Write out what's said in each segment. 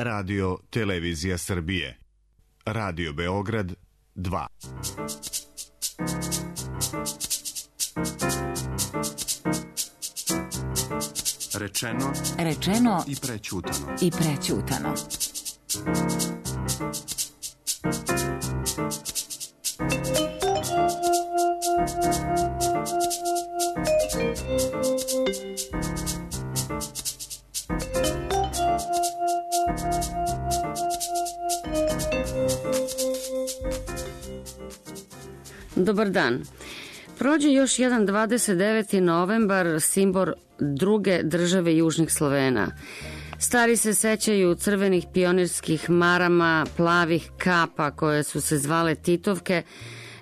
Radio Televizija Srbije. Radio Beograd 2. Rečeno i prećutano. Dobar dan. Prođe još jedan 29. novembar, simbol druge države južnih Slovena. Stari se sećaju crvenih pionirskih marama, plavih kapa koje su se zvale Titovke,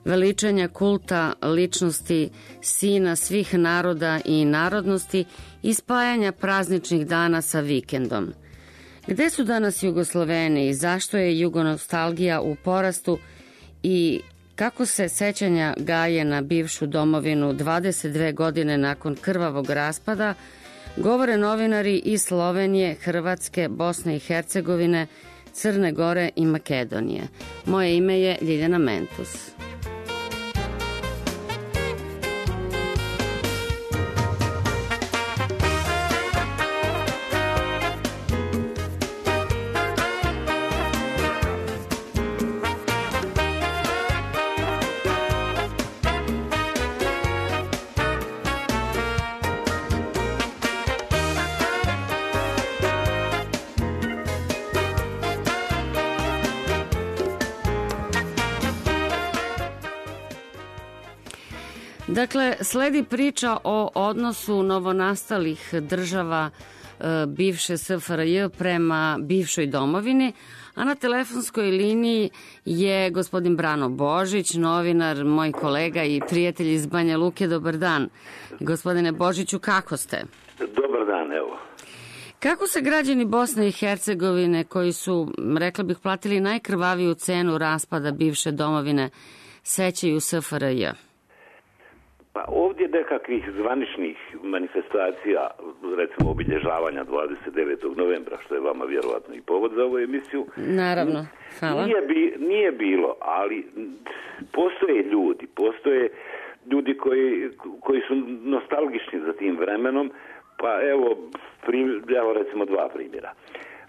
veličanja kulta ličnosti sina svih naroda i narodnosti i spajanja prazničnih dana sa vikendom. Gde su danas Jugosloveni i zašto je jugonostalgija u porastu i kako se sećanja gaje na bivšu domovinu 22 godine nakon krvavog raspada, govore novinari iz Slovenije, Hrvatske, Bosne i Hercegovine, Crne Gore i Makedonije. Moje ime je Ljiljana Mentus. Dakle, sledi priča o odnosu novonastalih država bivše SFRJ prema bivšoj domovini, a na telefonskoj liniji je gospodin Brano Božić, novinar, moj kolega i prijatelj iz Banja Luke. Dobar dan. Gospodine Božiću, kako ste? Dobar dan, evo. Kako se građani Bosne i Hercegovine, koji su, rekla bih, platili najkrvaviju cenu raspada bivše domovine, sećaju SFRJ? Pa ovdje nekakvih zvaničnih manifestacija, recimo obilježavanja 29. novembra, što je vama vjerovatno i povod za ovu emisiju. Naravno, hvala. Nije bilo, ali postoje ljudi koji su nostalgični za tim vremenom, pa evo recimo dva primjera.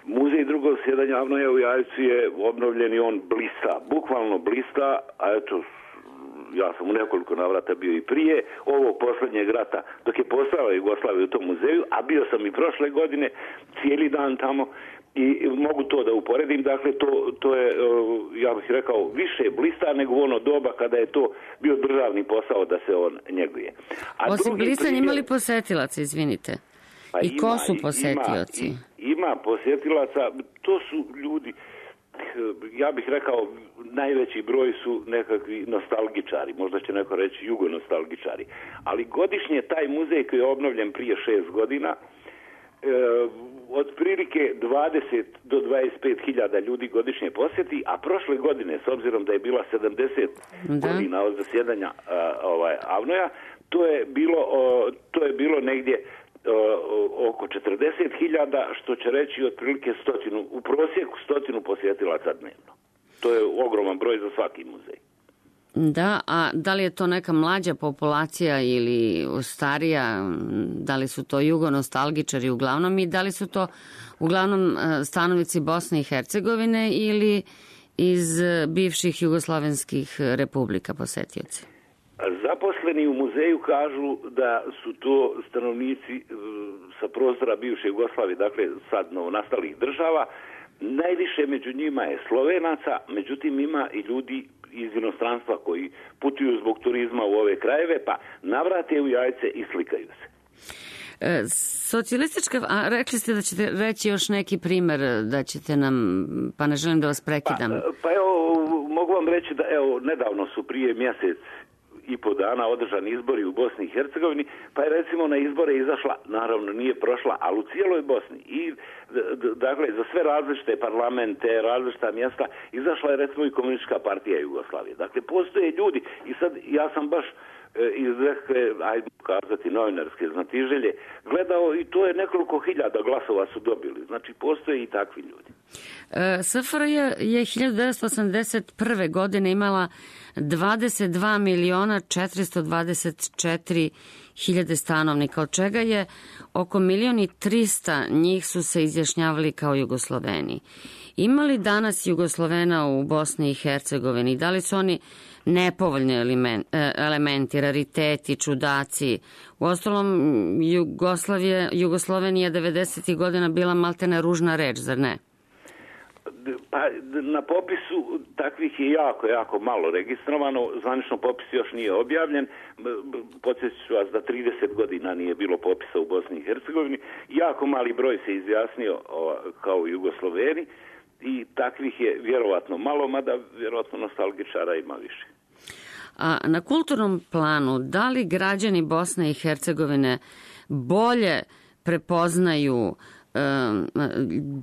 Muzej drugog sjedanja Avnoja u Jajcu je obnovljen i on blista, bukvalno blista, a eto, ja sam u nekoliko navrata bio i prije ovog posljednjeg rata, dok je postojala Jugoslavija u tom muzeju, a bio sam i prošle godine cijeli dan tamo i mogu to da uporedim. Dakle, to je, ja bih rekao, više blista nego u ono doba kada je to bio državni posao da se on njeguje. Osim blistanja imali posetilaca, izvinite. Pa i ko su posetioci? Ima posjetilaca, to su ljudi, ja bih rekao, najveći broj su nekakvi nostalgičari, možda će neko reći jugonostalgičari, ali godišnje taj muzej koji je obnovljen prije 6 godina, otprilike 20 do 25 hiljada ljudi godišnje posjeti, a prošle godine, s obzirom da je bila 70 godina od zasjedanja Avnoja, to je bilo negdje oko 40.000, što će reći otprilike u prosjeku 100 posjetilaca dnevno. To je ogroman broj za svaki muzej. Da, a da li je to neka mlađa populacija ili starija, da li su to jugonostalgičari uglavnom i da li su to uglavnom stanovnici Bosne i Hercegovine ili iz bivših jugoslovenskih republika posetioci? Zaposleni u muzeju kažu da su to stanovnici sa prostora bivše Jugoslavije, dakle sad novonastalih država. Najviše među njima je Slovenaca, međutim ima i ljudi iz inostranstva koji putuju zbog turizma u ove krajeve, pa navrate u Jajce i slikaju se. Socijalistička, a rekli ste da ćete reći još neki primer, da ćete nam, pa ne želim da vas prekidam. Pa evo, mogu vam reći da evo, nedavno su prije mjesec i po dana održani izbori u Bosni i Hercegovini, pa je recimo na izbore izašla, naravno nije prošla, ali u cijeloj Bosni i dakle za sve različite parlamente, različita mjesta izašla je recimo i Komunistička partija Jugoslavije. Dakle, postoje ljudi i sad ja sam baš iz neke, ajde kazati, novinarske znatiželje gledao i to je nekoliko hiljada glasova su dobili. Znači, postoje i takvi ljudi. SFRJ je 1981. godine imala 22.424.000 stanovnika, od čega je oko 1.300.000 njih su se izjašnjavali kao Jugosloveni. Ima li danas Jugoslovena u Bosni i Hercegovini? Da li su oni nepovoljni elementi, rariteti, čudaci? Uostalom, Jugoslovenija 90. godina bila maltene ružna reč, zar ne? Pa na popisu takvih je jako malo registrovano, zvanično popis još nije objavljen, podsjetit ću vas da 30 godina nije bilo popisa u Bosni i Hercegovini, jako mali broj se izjasnio kao Jugosloveni i takvih je vjerovatno malo, mada vjerovatno nostalgičara ima više. A na kulturnom planu, da li građani Bosne i Hercegovine bolje prepoznaju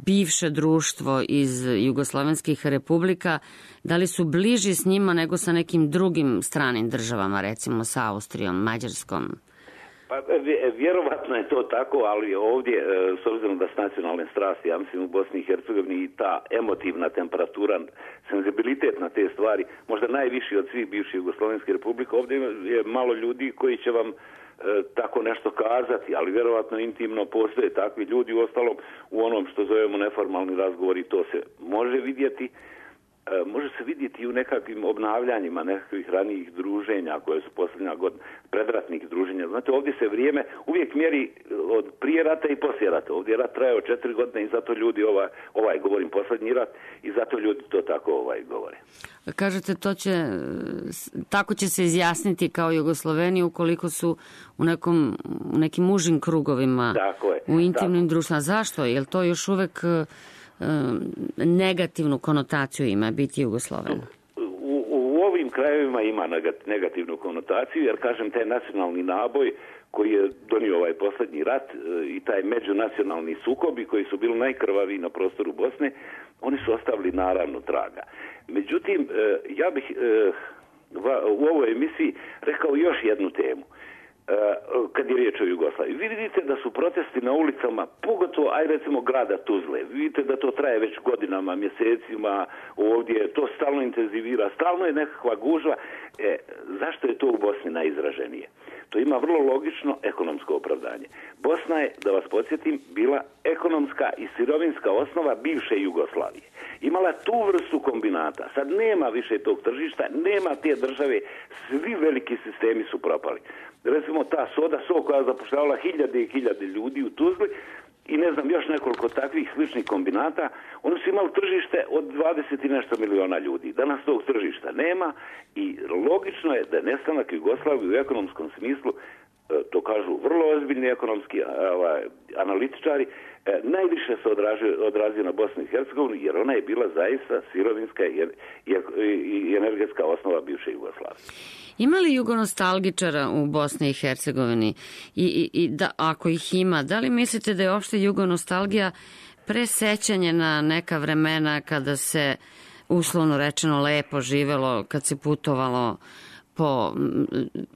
bivše društvo iz jugoslovenskih republika, da li su bliži s njima nego sa nekim drugim stranim državama, recimo sa Austrijom, Mađarskom? Pa vjerovatno je to tako, ali ovdje, s obzirom da s nacionalne strasti, ja mislim u Bosni i Hercegovini i ta emotivna temperatura, senzibilitet na te stvari, možda najviši od svih bivših jugoslovenskih republika, ovdje je malo ljudi koji će vam tako nešto kazati, ali vjerovatno intimno postoje takvi ljudi. Uostalom, u onom što zovemo neformalni razgovori, to se može vidjeti. Može se vidjeti i u nekakvim obnavljanjima nekakvih ranijih druženja koje su posljednja godina, predratnih druženja. Znate, ovdje se vrijeme uvijek mjeri od prije rata i poslije rata. Ovdje je rat trajao 4 godine i zato ljudi govorim posljednji rat, i zato ljudi to tako govore. Kažete, tako će se izjasniti kao Jugosloveni ukoliko su u nekim užim krugovima, u intimnim društvima. Zašto? Je li to još uvek negativnu konotaciju ima biti Jugosloven? U ovim krajevima ima negativnu konotaciju, jer kažem, taj nacionalni naboj koji je donio ovaj posljednji rat i taj međunacionalni sukobi koji su bili najkrvaviji na prostoru Bosne, oni su ostavili naravno traga. Međutim, ja bih u ovoj emisiji rekao još jednu temu. Kad je riječ o Jugoslaviji. Vi vidite da su protesti na ulicama, pogotovo, recimo, grada Tuzle. Vidite da to traje već godinama, mjesecima, ovdje to stalno intenzivira, stalno je nekakva gužva. Zašto je to u Bosni najizraženije? To ima vrlo logično ekonomsko opravdanje. Bosna je, da vas podsjetim, bila ekonomska i sirovinska osnova bivše Jugoslavije. Imala tu vrstu kombinata. Sad nema više tog tržišta, nema te države, svi veliki sistemi su propali. Recimo ta Soda So koja je zapošljavala hiljade i hiljade ljudi u Tuzli i ne znam još nekoliko takvih sličnih kombinata, oni su imali tržište od 20 i nešto miliona ljudi. Danas tog tržišta nema i logično je da nestanak Jugoslavije u ekonomskom smislu, to kažu vrlo ozbiljni ekonomski analitičari, najviše se odrazio na Bosnu i Hercegovinu, jer ona je bila zaista sirovinska i energetska osnova bivše Jugoslavije. Ima li jugonostalgičara u Bosni i Hercegovini? I da, ako ih ima, da li mislite da je uopšte jugonostalgija presećanje na neka vremena kada se, uslovno rečeno, lepo živelo, kad se putovalo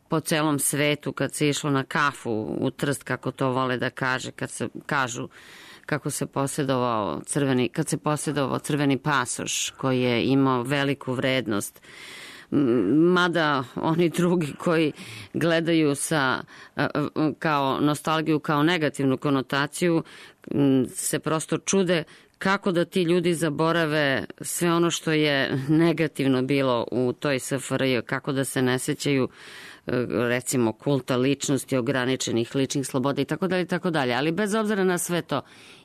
po celom svetu, kad se išlo na kafu u Trst, kako to vole da kažu, kako se posjedovao crveni pasoš koji je imao veliku vrednost. Mada oni drugi koji gledaju kao nostalgiju, kao negativnu konotaciju, se prosto čude kako da ti ljudi zaborave sve ono što je negativno bilo u toj SFRJ, kako da se ne sećaju recimo kulta ličnosti, ograničenih ličnih sloboda i tako dalje. Ali bez obzira na sve to,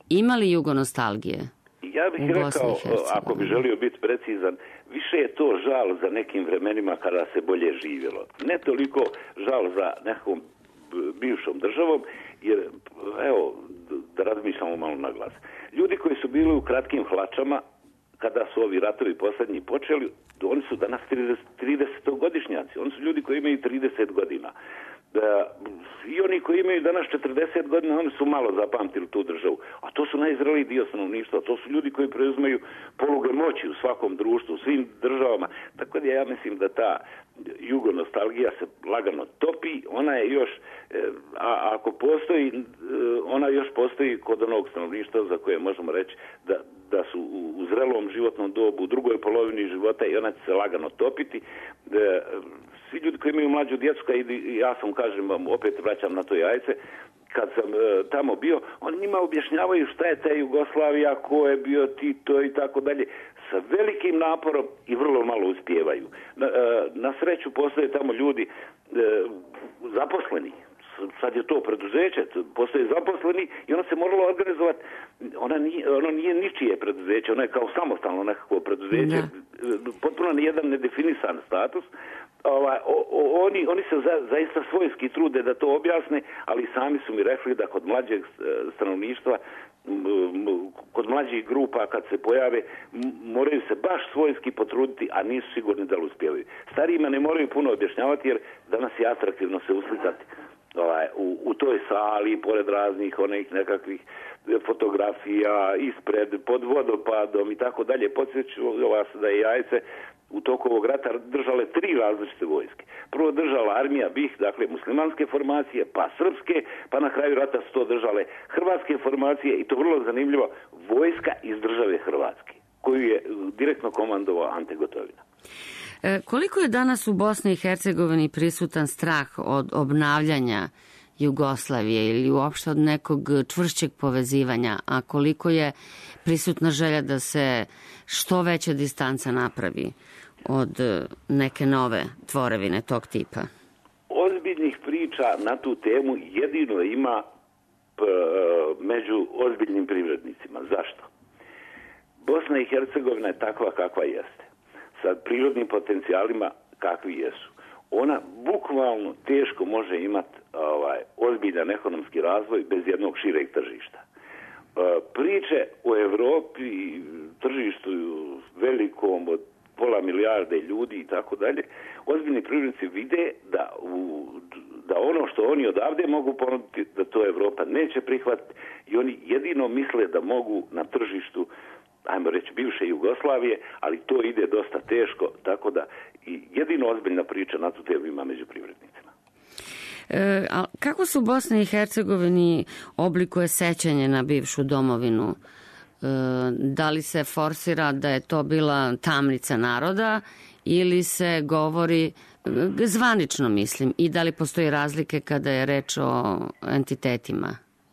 ima li jugonostalgije? Ja bih rekao, ako bi želio biti precizan, više je to žal za nekim vremenima kada se bolje živjelo. Ne toliko žal za nekom bivšom državom, jer, evo, da razmišljamo malo na glas. Ljudi koji su bili u kratkim hlačama, kada su ovi ratovi posljednji počeli, oni su danas 30-godišnjaci. Oni su ljudi koji imaju 30 godina. I oni koji imaju danas 40 godina, oni su malo zapamtili tu državu. A to su najzreliji dio stanovništva. To su ljudi koji preuzimaju poluge moći u svakom društvu, u svim državama. Tako da ja mislim da ta jugonostalgija se lagano topi. Ona je još, a ako postoji, ona još postoji kod onog stanovništva za koje možemo reći da su u zrelom životnom dobu, u drugoj polovini života, i ona će se lagano topiti. Svi ljudi koji imaju mlađu djecu, ja sam, kažem, opet vraćam na to jajce, kad sam tamo bio, oni njima objašnjavaju šta je ta Jugoslavija, ko je bio Tito i tako dalje, sa velikim naporom i vrlo malo uspijevaju. Na sreću postoje tamo ljudi zaposleni. Sad je to preduzeće, postoje zaposleni i ono se moralo organizovati. Ono nije ničije preduzeće, ono je kao samostalno nekako preduzeće, potpuno nijedan nedefinisan status. Oni se zaista svojski trude da to objasne, ali sami su mi rekli da kod mlađeg stanovništva, kod mlađih grupa kad se pojave, moraju se baš svojski potruditi, a nisu sigurni da li uspijevaju. Starijima ne moraju puno objašnjavati, jer danas je atraktivno se uslikati u toj sali, pored raznih onih nekakvih fotografija, ispred, pod vodopadom i tako dalje. Podsjeću vas da je jajce u toku ovog rata držale 3 različite vojske. Prvo držala armija BiH, dakle muslimanske formacije, pa srpske, pa na kraju rata su to držale hrvatske formacije, i to vrlo zanimljivo, vojska iz države Hrvatske, koju je direktno komandovao Ante Gotovina. Koliko je danas u Bosni i Hercegovini prisutan strah od obnavljanja Jugoslavije ili uopšte od nekog čvršćeg povezivanja, a koliko je prisutna želja da se što veća distanca napravi od neke nove tvorevine tog tipa? Ozbiljnih priča na tu temu jedino ima među ozbiljnim privrednicima. Zašto? Bosna i Hercegovina je takva kakva jeste, sa prirodnim potencijalima kakvi jesu. Ona bukvalno teško može imati ozbiljan ekonomski razvoj bez jednog šireg tržišta. Priče o Evropi, tržištu velikom od 500 milijarde ljudi i tako dalje, ozbiljni privrednici vide da ono što oni odavde mogu ponuditi, da to Evropa neće prihvatiti, i oni jedino misle da mogu na tržištu, ajmo reći, bivše Jugoslavije, ali to ide dosta teško, tako da i jedino ozbiljna priča na tu temu ima među privrednicima. A kako se u Bosni i Hercegovini oblikuje sećanje na bivšu domovinu? Da li se forsira da je to bila tamnica naroda ili se govori zvanično, mislim, i da li postoji razlike kada je reč o entitetima,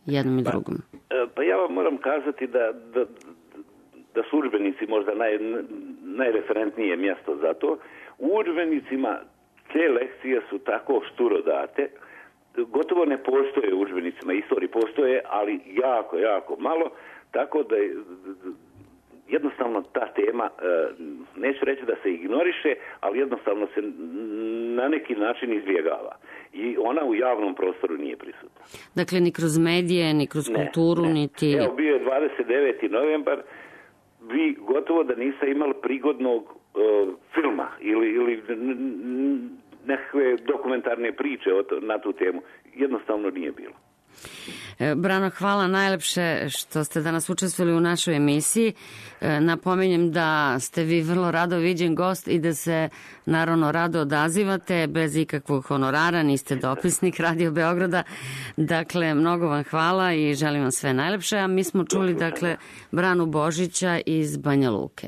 jednom i drugom? Pa ja vam moram kazati da su udžbenici možda najreferentnije mjesto za to. U udžbenicima te lekcije su tako šturo date, gotovo ne postoje u udžbenicima istorije, postoje, ali jako, jako malo, tako da jednostavno ta tema, neću reći da se ignoriše, ali jednostavno se na neki način izbjegava. I ona u javnom prostoru nije prisutna. Dakle, ni kroz medije, ni kroz kulturu, niti... Evo, bio je 29. novembar, vi gotovo da niste imali prigodnog filma ili nekakve dokumentarne priče na tu temu. Jednostavno nije bilo. Brano, hvala najlepše što ste danas učestvovali u našoj emisiji. Napominjem da ste vi vrlo rado viđen gost i da se naravno rado odazivate bez ikakvog honorara, niste dopisnik Radio Beograda. Dakle, mnogo vam hvala i želim vam sve najlepše. A mi smo čuli, dakle, Branu Božića iz Banja Luke.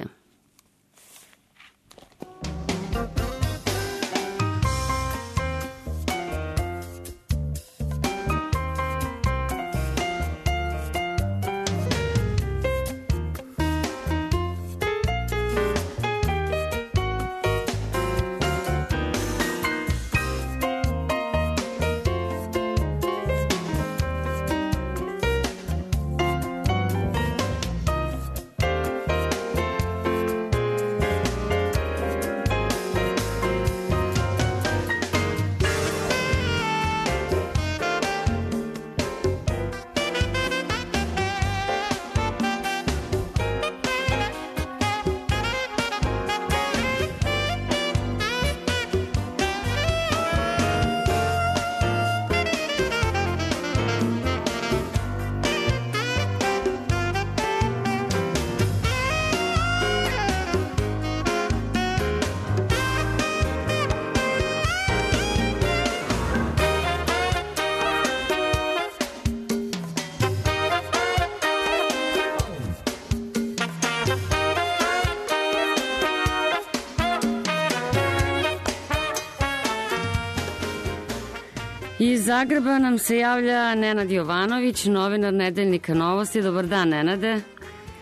Zagreba nam se javlja Nenad Jovanović, novinar Nedeljnika Novosti. Dobar dan, Nenade.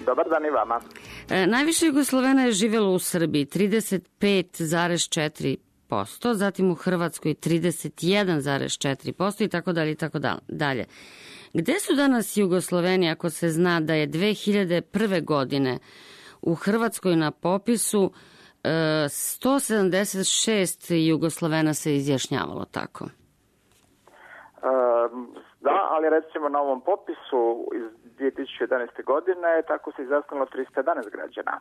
Dobar dan i vama. Najviše Jugoslovena je živjelo u Srbiji, 35,4%, zatim u Hrvatskoj 31,4% i tako dalje i tako dalje. Gde su danas Jugosloveni ako se zna da je 2001. godine u Hrvatskoj na popisu 176 Jugoslovena se izjašnjavalo tako? Da, ali recimo na ovom popisu iz 2011. godine tako se izjasnilo 311 građana.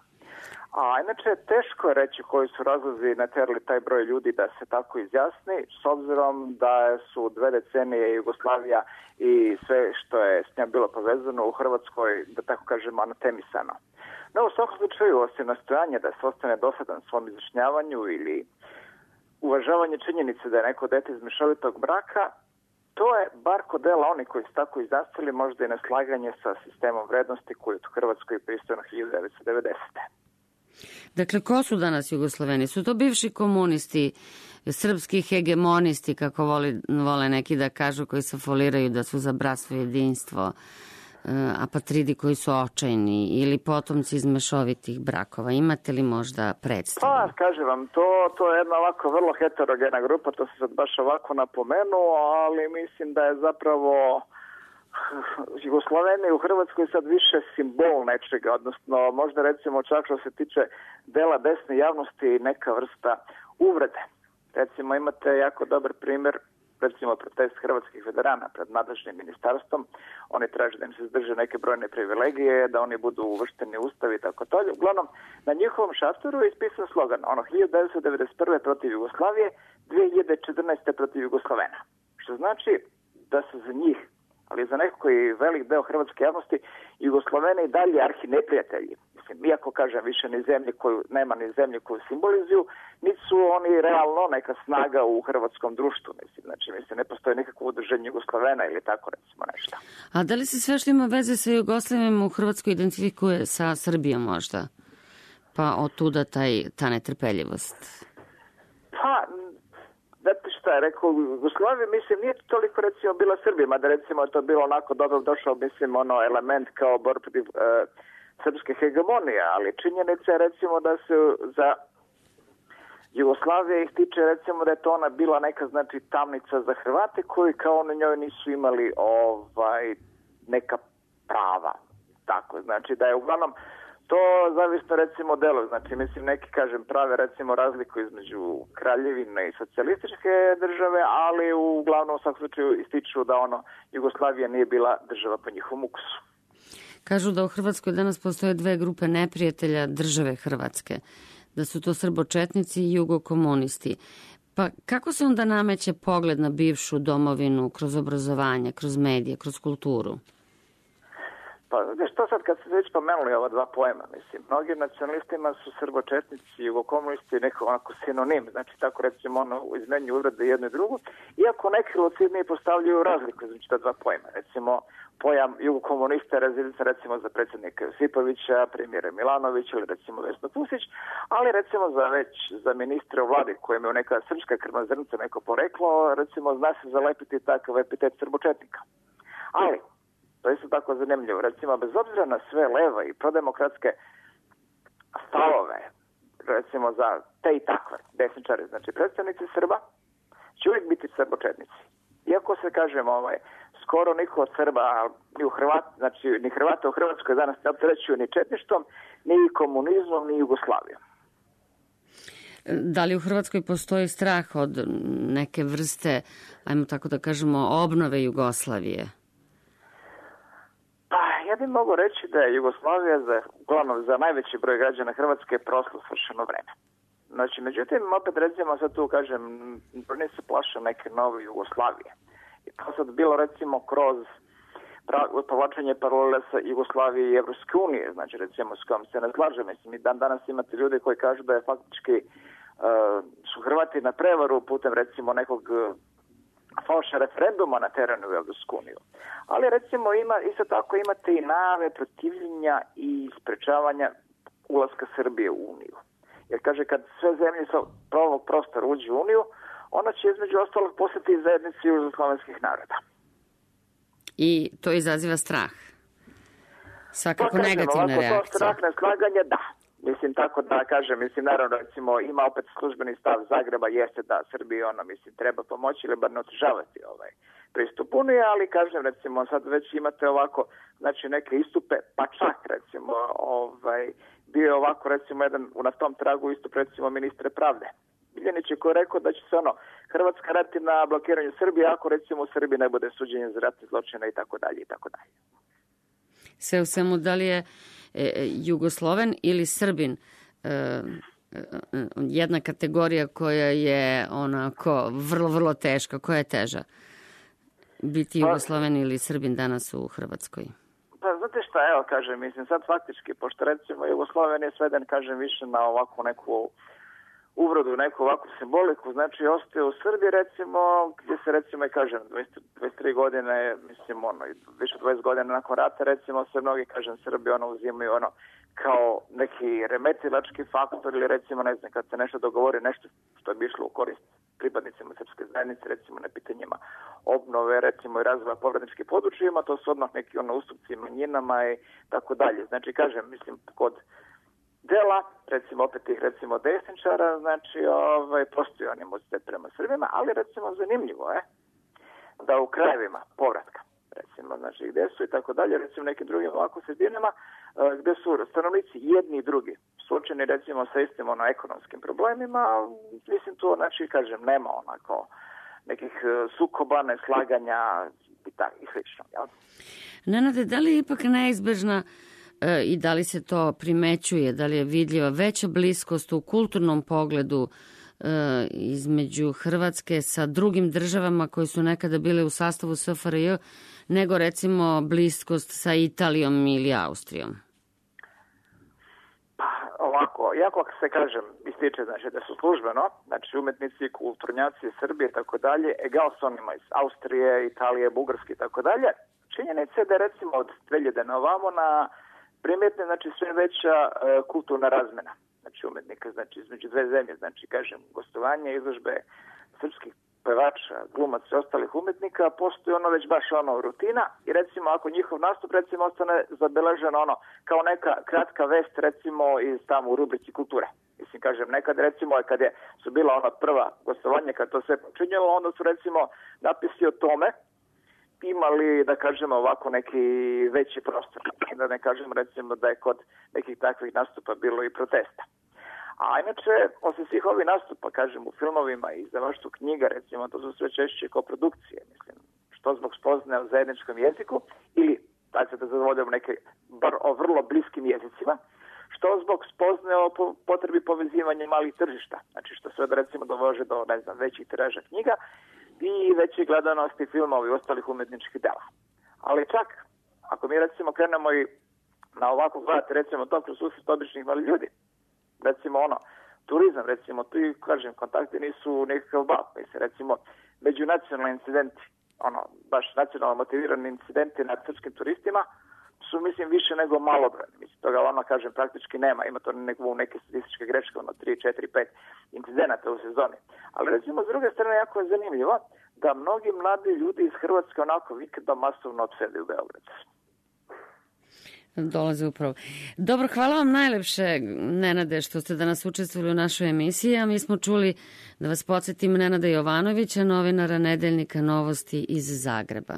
A inače teško je reći koji su razlozi naterali taj broj ljudi da se tako izjasni, s obzirom da su 2 decenije Jugoslavija i sve što je s njom bilo povezano u Hrvatskoj, da tako kažemo, anatemisano. No, u svakom slučaju, osim nastojanja da se ostane dosadan svom izjašnjavanju ili uvažavanje činjenice da je neko dete iz mešovitog braka, to je bar kod dela oni koji su tako izjasnili možda i neslaganje sa sistemom vrednosti koji je u Hrvatskoj pristojno 1990. Dakle, ko su danas Jugosloveni? Su to bivši komunisti, srpski hegemonisti, kako vole neki da kažu, koji se foliraju da su za bratstvo i jedinstvo, apatridi koji su očajni ili potomci iz mešovitih brakova? Imate li možda predstavu? Pa, kažem vam, to je jedna ovako vrlo heterogena grupa, to se sad baš ovako napomenuo, ali mislim da je zapravo Jugoslaveni u Hrvatskoj sad više simbol nečega, odnosno možda recimo čak što se tiče dela desne javnosti neka vrsta uvrede. Recimo imate jako dobar primjer, recimo protest hrvatskih veterana pred nadležnim ministarstvom. Oni traže da im se zdrže neke brojne privilegije, da oni budu uvršteni u ustav i tako to. Uglavnom, na njihovom šatoru je ispisan slogan 1991. protiv Jugoslavije, 2014. protiv Jugoslavena. Što znači da su za njih, ali za neko koji velik deo hrvatske javnosti, Jugosloveni i dalje arhineprijatelji. Mislim, iako kažem više nema ni zemlje koju simbolizuju, niti su oni realno neka snaga u hrvatskom društvu. Mislim, ne postoji nikakvo udruženje Jugoslovena ili tako recimo nešto. A da li se sve što ima veze sa Jugoslavijom u Hrvatskoj identifikuje sa Srbijom možda? Pa otuda ta netrpeljivost? Pa, znate šta je rekao, Jugoslavija, mislim, nije toliko recimo bila Srbija, mada recimo je to bilo onako dobro došao, mislim, element kao borb protiv srpske hegemonije, ali činjenica je recimo da se za Jugoslavije ih tiče recimo da je to ona bila neka znači tamnica za Hrvate koji kao na njoj nisu imali neka prava. Tako, znači da je uglavnom to zavisno recimo delo, znači mislim neki kažem prave recimo razliku između kraljevine i socijalističke države, ali uglavnom u svakom slučaju ističu da Jugoslavija nije bila država po njihovom ukusu. Kažu da u Hrvatskoj danas postoje 2 grupe neprijatelja države Hrvatske, da su to srbočetnici i jugokomunisti. Pa kako se onda nameće pogled na bivšu domovinu kroz obrazovanje, kroz medije, kroz kulturu? Pa, što sad kad ste već pomenuli ova 2 pojma, mislim, mnogim nacionalistima su srbočetnici i jugokomunisti neko onako sinonim, znači tako recimo izmenju uvrede jedno i drugo, iako neki lucidniji postavljaju razliku između ta 2 pojma, recimo pojam jugokomunista razilica recimo za predsjednika Josipovića, premijera Milanovića ili recimo Vesnu Pusić, ali recimo za ministra u vladi kojem je neka srpska krvna zrnca neko poreklo, recimo zna se zalepiti takav epitet srbočetnika. Ali to je isto tako zanimljivo. Recimo, bez obzira na sve leve i prodemokratske stavove, recimo za te i takve desničare, znači predstavnici Srba, će uvijek biti srbočetnici. Iako se kažem, skoro niko od Srba, ni Hrvata u Hrvatskoj danas ne opterećuju ni četništvom, ni komunizmom, ni Jugoslavijom. Da li u Hrvatskoj postoji strah od neke vrste, ajmo tako da kažemo, obnove Jugoslavije? Ja bih mogao reći da je Jugoslavija uglavnom za najveći broj građana Hrvatske prošlo svršeno vreme. Znači, međutim, opet recimo sad tu kažem, ne se plaša neke nove Jugoslavije. I to sad bilo recimo kroz povlačenje paralele sa Jugoslavije i Evropske unije, znači recimo s kojom se ne slaže. Mislim, i danas imate ljude koji kažu da je faktički su Hrvati na prevaru putem recimo nekog falša referenduma na terenu u Evropsku uniju. Ali recimo isto tako imate i najave protivljenja i sprečavanja ulaska Srbije u Uniju. Jer kaže kad sve zemlje sa ovog prostora uđu u Uniju, ona će između ostalog postati zajednici južnoslovenskih naroda. I to izaziva strah? Svakako negativna reakcija. To strah, neslaganje, da. Mislim, tako da kažem, mislim, naravno, recimo, ima opet službeni stav Zagreba, jeste da Srbiji, treba pomoći ili bar ne otežavati pristup Unije, ali kažem, recimo, sad već imate ovako, znači, neke istupe, pa čak, recimo, bio je ovako, recimo, jedan na tom tragu istup, recimo, ministre pravde Biljanić je koji je rekao da će se Hrvatska raditi na blokiranju Srbije ako, recimo, u Srbiji ne bude suđenje za ratne zločine i tako dalje i tako dalje. Sve u svemu, da li je Jugosloven ili Srbin jedna kategorija koja je onako vrlo, vrlo teška? Koja je teža? Biti Jugosloven ili Srbin danas u Hrvatskoj? Pa znate šta, evo kažem, mislim sad faktički, pošto recimo Jugosloven je sveden, kažem, više na ovakvu neku uvrodu, neku ovakvu simboliku, znači ostaje u Srbiji recimo, gdje se recimo i kažem 23 godine, mislim više 20 godina nakon rata recimo se mnogi, kažem, Srbi uzimaju kao neki remetilački faktor ili recimo ne znam kad se nešto dogovori, nešto što bi išlo u korist pripadnicima srpske zajednice, recimo na pitanjima obnove, recimo i razvoja povratničkih područjima, to su odmah neki ustupci manjinama i tako dalje. Znači kažem, mislim kod dela, recimo opet tih recimo desničara, znači postoji animozitet prema Srbima, ali recimo zanimljivo je da u krajevima povratka, recimo znači gdje su i tako dalje, recimo nekim drugim ovako sredinama, gdje su stanovnici jedni i drugi suočeni recimo sa istim ekonomskim problemima, mislim to znači kažem nema onako nekih sukoba, neslaganja i slično. Jel? Nenade, da li je ipak neizbežna i da li se to primećuje, da li je vidljiva veća bliskost u kulturnom pogledu između Hrvatske sa drugim državama koje su nekada bile u sastavu SFRJ nego recimo bliskost sa Italijom ili Austrijom? Pa ovako, jako se kažem, ističe znači da su službeno, znači umetnici, kulturnjaci Srbije i tako dalje, egal s onima iz Austrije, Italije, Bugarske i tako dalje, činjenica je da recimo od 2000 na ovamo na primjetne, znači sve veća kulturna razmena, znači umetnika, znači između dve zemlje, znači kažem gostovanje, izložbe srpskih pevača, glumaca i ostalih umetnika, postoji već baš rutina i recimo ako njihov nastup recimo ostane zabeležen kao neka kratka vest recimo iz tamo u rubrici kulture. Mislim kažem nekad recimo kad su bila prva gostovanja kad to sve počinjalo, onda su recimo napisi o tome imali, da kažemo, ovako neki veći prostor. Da ne kažem, recimo, da je kod nekih takvih nastupa bilo i protesta. A inače, osim svih ovih nastupa, kažem, u filmovima i izdavaštvu knjiga, recimo, to su sve češće koprodukcije, mislim, što zbog spoznaje o zajedničkom jeziku, ili, da se da zadovoljamo neke, bar o vrlo bliskim jezicima, što zbog spoznaje o potrebi povezivanja malih tržišta. Znači, što sve da, recimo, dovože do, ne znam, većih tiraža knjiga, i veće gledanosti filmova i ostalih umetničkih dela. Ali čak, ako mi recimo krenemo i na ovako gledati, recimo to kroz susret običnih mali ljudi, recimo turizam, recimo, tu i kažem, kontakti nisu nekakav bal, mislim, recimo, međunacionalni incidenti, baš nacionalno motivirani incidenti nad srpskim turistima, su, mislim, više nego malobrojni. Mislim, toga kažem, praktički nema. Ima to neke statističke greške, 3, 4, 5 incidenata u sezoni. Ali, recimo, s druge strane, jako je zanimljivo da mnogi mladi ljudi iz Hrvatske vikendom masovno odsede u Beograd. Dolaze upravo. Dobro, hvala vam najlepše, Nenade, što ste danas učestvovali u našoj emisiji, a mi smo čuli, da vas podsjetim, Nenada Jovanovića, novinara Nedeljnika Novosti iz Zagreba.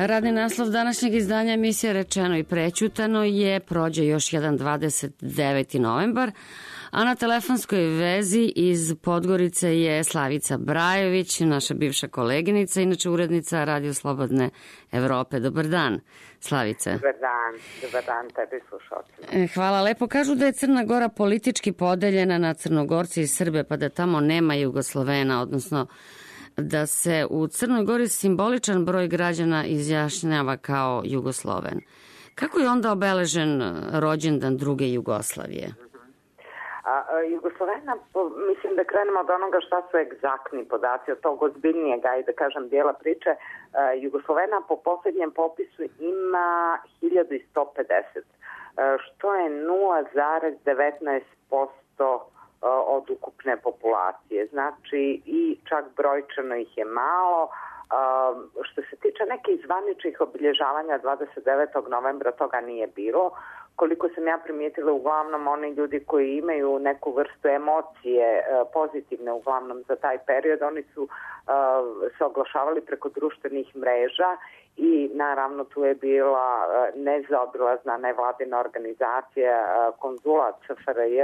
Radni naslov današnjeg izdanja emisije Rečeno i prećutano je prođe još jedan 29. novembar, a na telefonskoj vezi iz Podgorice je Slavica Brajović, naša bivša koleginica, inače urednica Radio Slobodne Evrope. Dobar dan, Slavice. Dobar dan tebi slušalcima. Hvala lepo. Kažu da je Crna Gora politički podeljena na Crnogorci i Srbe, pa da tamo nema Jugoslovena, odnosno da se u Crnoj Gori simboličan broj građana izjašnjava kao Jugosloven. Kako je onda obeležen rođendan druge Jugoslavije? Jugoslovena, mislim da krenemo od onoga šta su egzaktni podaci, od tog ozbiljnijeg, ajde da kažem, dijela priče. Jugoslovena po posljednjem popisu ima 1150, što je 0,19% od ukupne populacije. Znači i čak brojčano ih je malo. Što se tiče nekih zvaničnih obilježavanja 29. novembra, toga nije bilo. Koliko sam ja primijetila, uglavnom oni ljudi koji imaju neku vrstu emocije pozitivne uglavnom za taj period, oni su se oglašavali preko društvenih mreža i naravno tu je bila nezaobilazna nevladina organizacija Konzulat SFRJ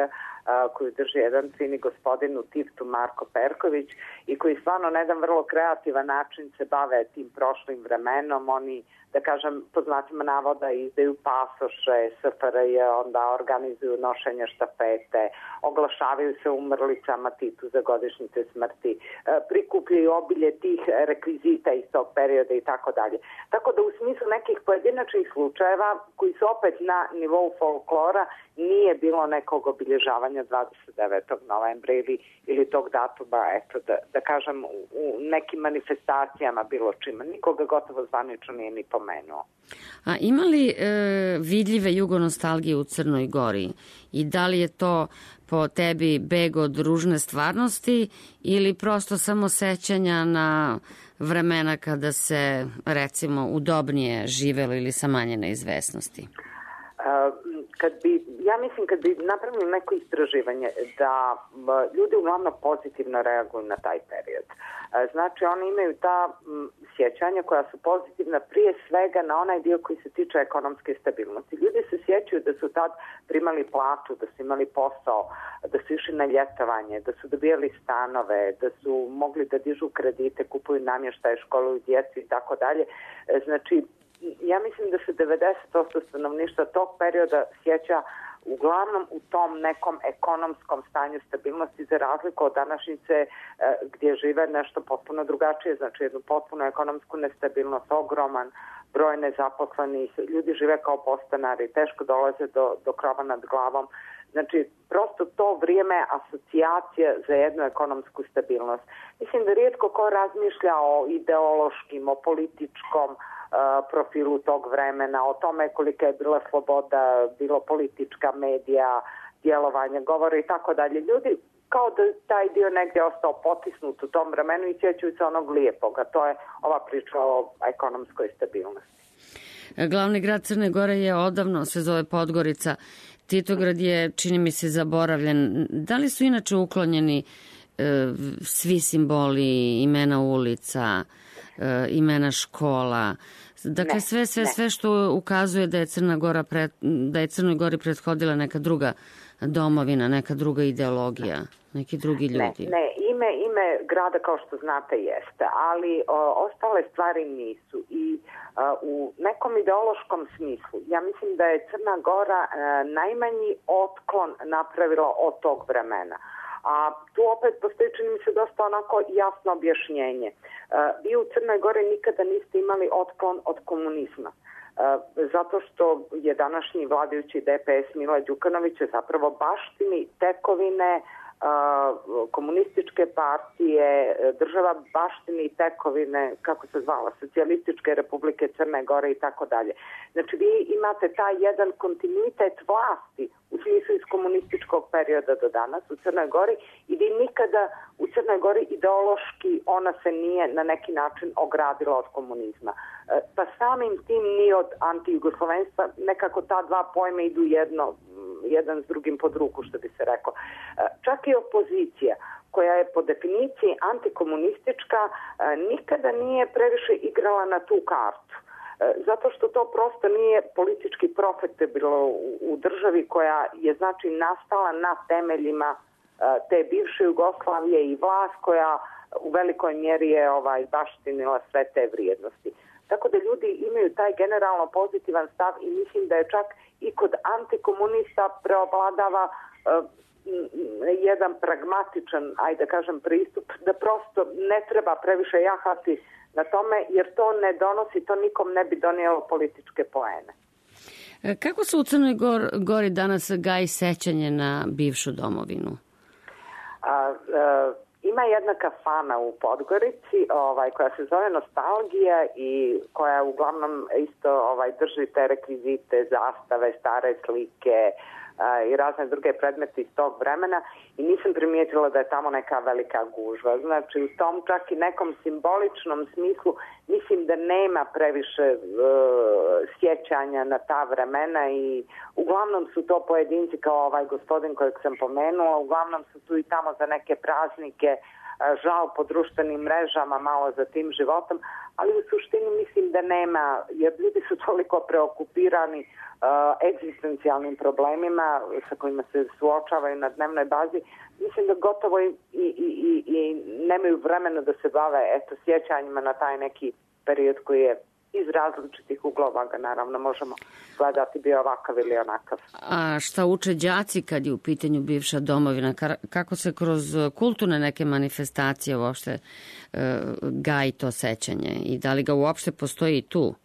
koju drži jedan fini gospodin u Tivtu, Marko Perković, i koji stvarno na jedan vrlo kreativan način se bave tim prošlim vremenom. Oni, da kažem, po znacima navoda izdaju pasoše SFRJ, onda organizuju nošenje štafete, oglašavaju se umrlicama Titu za godišnjice smrti, prikupljaju obilje tih rekvizita iz tog perioda i tako dalje. Tako da u smislu nekih pojedinačnih slučajeva koji su opet na nivou folklora nije bilo nekog obilježavanja 29. novembra ili tog datuma, eto, da kažem, u nekim manifestacijama bilo čima. Nikoga gotovo zvanično nije ni pomenuo. A ima li vidljive jugonostalgije u Crnoj Gori? I da li je to po tebi beg od ružne stvarnosti ili prosto samo sećanja na vremena kada se, recimo, udobnije živelo ili sa manje neizvesnosti? Ja mislim kad bi napravili neko istraživanje da ljudi uglavnom pozitivno reaguju na taj period. Znači oni imaju ta sjećanja koja su pozitivna prije svega na onaj dio koji se tiče ekonomske stabilnosti. Ljudi se sjećaju da su tad primali platu, da su imali posao, da su išli na ljetovanje, da su dobijali stanove, da su mogli da dižu kredite, kupuju namještaje, školuju djecu i tako dalje. Znači, ja mislim da se 90% stanovništva tog perioda sjeća uglavnom u tom nekom ekonomskom stanju stabilnosti, za razliku od današnjice gdje žive nešto potpuno drugačije, znači jednu potpuno ekonomsku nestabilnost, ogroman broj nezaposlenih, ljudi žive kao podstanari, teško dolaze do krova nad glavom. Znači, prosto to vrijeme asocijacija za jednu ekonomsku stabilnost. Mislim da rijetko ko razmišlja o ideološkim, o političkom profilu tog vremena, o tome kolika je bila sloboda, bilo politička, medija, djelovanje, govore i tako dalje. Ljudi kao da taj dio negdje ostao potisnut u tom vremenu i sjećaju se onog lijepog, a to je ova priča o ekonomskoj stabilnosti. Glavni grad Crne Gore je odavno, se zove Podgorica. Titograd je, čini mi se, zaboravljen. Da li su inače uklonjeni svi simboli, imena ulica, imena škola? Dakle, sve što ukazuje da je Crnoj Gori prethodila neka druga domovina, neka druga ideologija, neki drugi ljudi. Ne, ime grada, kao što znate, jeste, ali ostale stvari nisu. I u nekom ideološkom smislu, ja mislim da je Crna Gora najmanji otklon napravila od tog vremena. A tu opet postoji, čini mi se, dosta onako jasno objašnjenje. Vi u Crnoj Gori nikada niste imali otklon od komunizma. Zato što je današnji vladajući DPS Mila Đukanovića zapravo baštini tekovine komunističke partije, država baštini tekovine, kako se zvala, Socijalističke republike Crne Gore i tako dalje. Znači vi imate taj jedan kontinuitet vlasti u smislu iz komunističkog perioda do danas u Crnoj Gori i vi nikada u Crnoj Gori ideološki ona se nije na neki način ogradila od komunizma. Pa samim tim ni od antijugoslovenstva, nekako ta dva pojma idu jedan s drugim pod ruku, što bi se rekao. Čak i opozicija, koja je po definiciji antikomunistička, nikada nije previše igrala na tu kartu. zato što to prosto nije politički profitabilno u državi koja je znači nastala na temeljima te bivše Jugoslavije i vlast koja u velikoj mjeri je baštinila sve te vrijednosti. Tako da ljudi imaju taj generalno pozitivan stav i mislim da je čak i kod antikomunista preovladava jedan pragmatičan, ajde kažem, pristup da prosto ne treba previše jahati na tome, jer to ne donosi, to nikom ne bi donijelo političke poene. Kako se u Crnoj Gori danas gaji sećanje na bivšu domovinu? Ima jedna kafana u Podgorici koja se zove Nostalgija i koja uglavnom isto drži te rekvizite, zastave, stare slike i razne druge predmete iz tog vremena i nisam primijetila da je tamo neka velika gužva. Znači u tom čak i nekom simboličnom smislu mislim da nema previše sjećanja na ta vremena i uglavnom su to pojedinci kao ovaj gospodin kojeg sam pomenula, uglavnom su tu i tamo za neke praznike, žal po društvenim mrežama, malo za tim životom, ali u suštini mislim da nema, jer ljudi su toliko preokupirani egzistencijalnim problemima sa kojima se suočavaju na dnevnoj bazi, mislim da gotovo i nemaju vremena da se bave sjećanjima na taj neki period koji je iz različitih uglova ga naravno možemo gledati bio ovakav ili onakav. A šta uče đaci kad je u pitanju bivša domovina? Kako se kroz kulturne neke manifestacije uopšte gaji to sećanje i da li ga uopšte postoji i tu?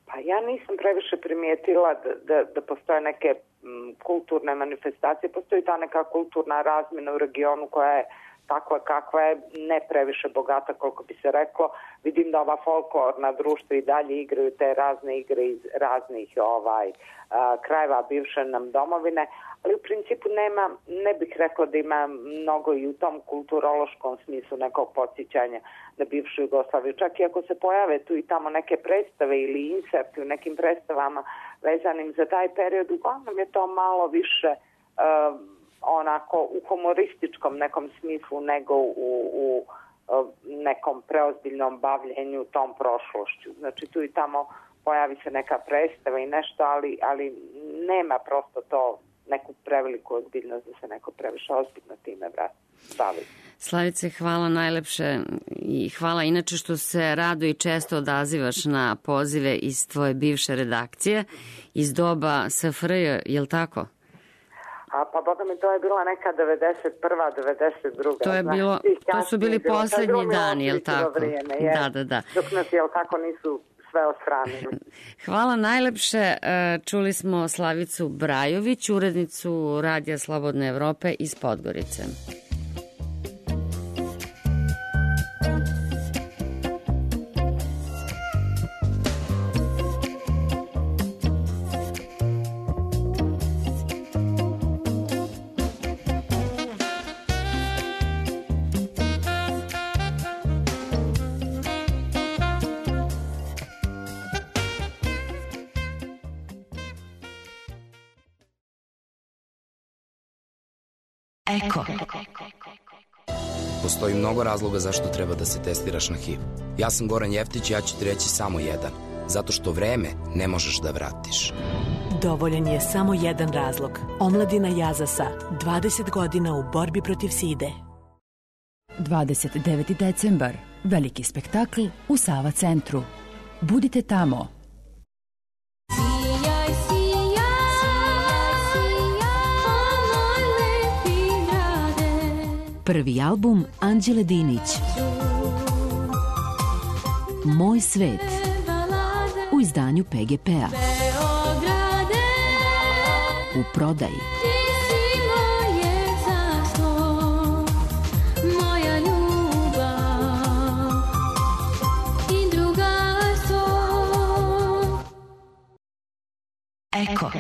Pa ja nisam previše primijetila da postoje neke kulturne manifestacije. Postoji ta neka kulturna razmjena u regionu koja je takva kakva je, ne previše bogata koliko bi se reklo. Vidim da ova folklorna društva i dalje igraju te razne igre iz raznih krajeva bivše nam domovine, ali u principu ne bih rekla da ima mnogo i u tom kulturološkom smislu nekog podsjećanja na bivšu Jugoslaviju. Čak i ako se pojave tu i tamo neke predstave ili inserti u nekim predstavama vezanim za taj period, uglavnom je to malo više onako u humorističkom nekom smislu nego u nekom preozbiljnom bavljenju tom prošlošću. Znači tu i tamo pojavi se neka predstava i nešto, ali nema prosto to neku preveliku ozbiljnost da se neko previše ozbiljno time bavi. Slavice, hvala najlepše i hvala inače što se rado i često odazivaš na pozive iz tvoje bivše redakcije iz doba SFRJ, je li tako? Pa boga mi, to je bila neka 91. 92. To su bili posljednji dani, je li tako? Da. Dok nas, je li tako, nisu sve ostranili. Hvala najlepše. Čuli smo Slavicu Brajović, urednicu Radija Slobodne Evrope iz Podgorice. Eko. Postoji mnogo razloga zašto treba da se testiraš na HIV. Ja sam Goran Jeftić i ja ću ti reći samo jedan. Zato što vreme ne možeš da vratiš. Dovoljan je samo jedan razlog. Omladina Jazasa, 20 godina u borbi protiv side. 29. decembar. Veliki spektakl u Sava centru. Budite tamo. Prvi album Anđele Dinić. Moj svet. U izdanju PGP-a. U prodaji. Eko.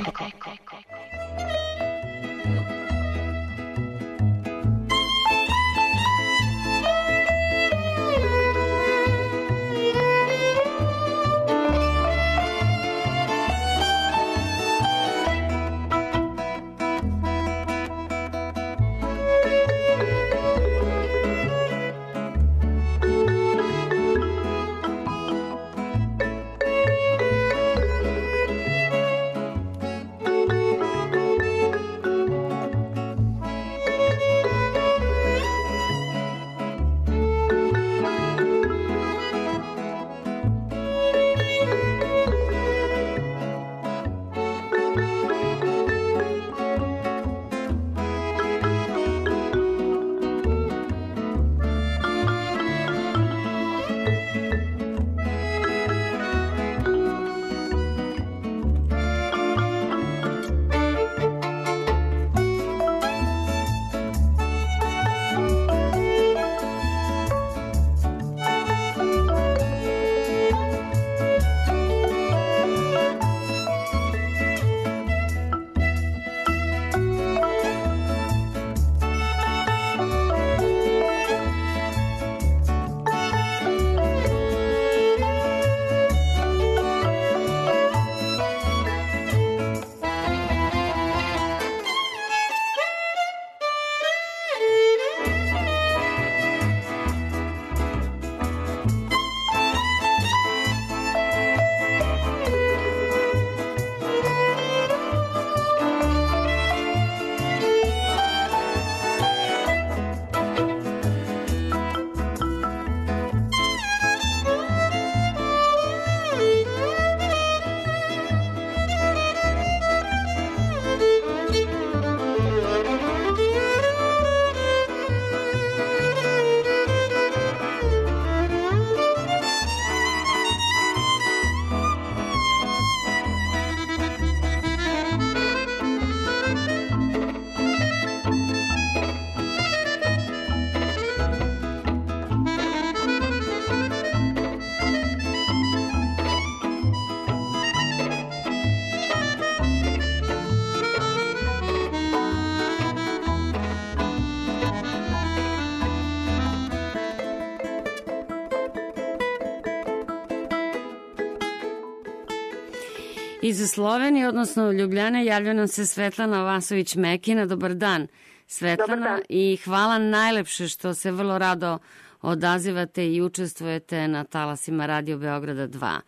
Iz Slovenije, odnosno Ljubljane, javlja nam se Svetlana Vasović-Mekina. Dobar dan, Svetlana. Dobar dan. I hvala najlepše što se vrlo rado odazivate i učestvujete na talasima Radio Beograda 2.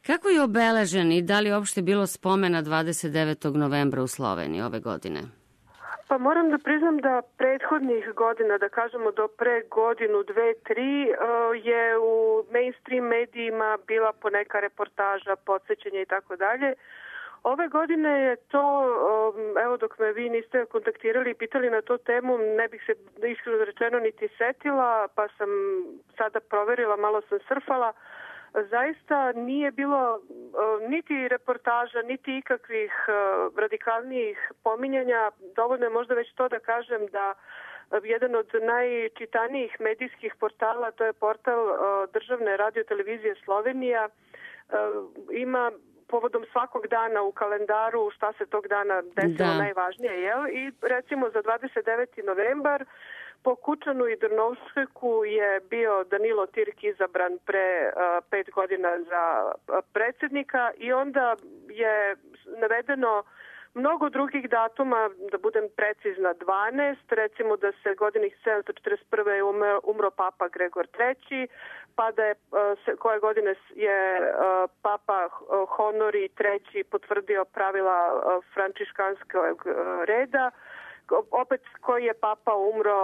Kako je obeležen i da li je uopšte bilo spomena 29. novembra u Sloveniji ove godine? Pa moram da priznam da prethodnih godina, da kažemo do pre godinu, 2, 3, je u mainstream medijima bila poneka reportaža, podsjećanja i tako dalje. Ove godine je to, evo dok me vi niste kontaktirali i pitali na tu temu, ne bih se iskreno rečeno niti setila, pa sam sada proverila, malo sam surfala. Zaista nije bilo niti reportaža, niti ikakvih radikalnijih pominjanja. Dovoljno je možda već to da kažem da jedan od najčitanijih medijskih portala, to je portal Državne radiotelevizije Slovenija, ima povodom svakog dana u kalendaru šta se tog dana desilo najvažnije, jel? I recimo za 29. novembar po Kučanu i Drnovšeku je bio Danilo Tirk izabran pre 5 godina za predsjednika i onda je navedeno mnogo drugih datuma, da budem precizna 12, recimo da se godinih 741. umro Papa Gregor III, pa da je koje godine je Papa Honori III potvrdio pravila frančiškanskog reda, opet koji je Papa umro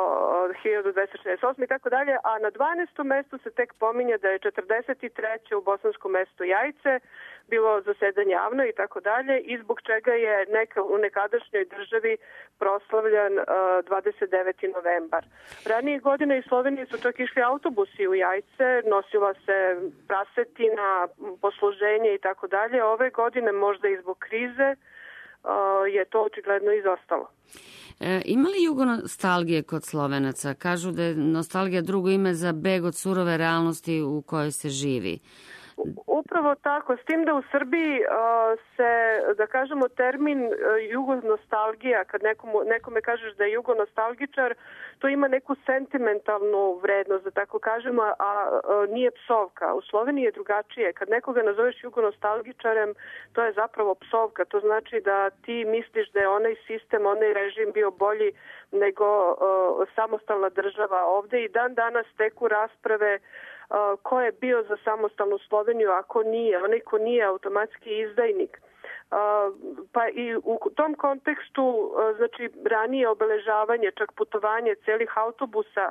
1268 i tako dalje, a na 12. mestu se tek pominje da je 43. u bosanskom mestu Jajce bilo zasedanje javno i tako dalje i zbog čega je u nekadašnjoj državi proslavljan 29. novembar. Ranije godine iz Slovenije su čak išli autobusi u Jajce, nosila se prasetina, posluženje i tako dalje. Ove godine možda i zbog krize je to očigledno izostalo. Ima li jugonostalgije kod Slovenaca? Kažu da je nostalgija drugo ime za beg od surove realnosti u kojoj se živi. Upravo tako, s tim da u Srbiji se, da kažemo, termin jugonostalgija, kad nekome kažeš da je jugonostalgičar, to ima neku sentimentalnu vrednost, da tako kažemo, a nije psovka. U Sloveniji je drugačije. Kad nekoga nazoveš jugonostalgičarem, to je zapravo psovka. To znači da ti misliš da je onaj sistem, onaj režim bio bolji nego samostalna država ovde i dan danas teku rasprave ko je bio za samostalnu Sloveniju, ako nije. Onaj ko nije automatski izdajnik. Pa i u tom kontekstu, znači ranije obeležavanje, čak putovanje celih autobusa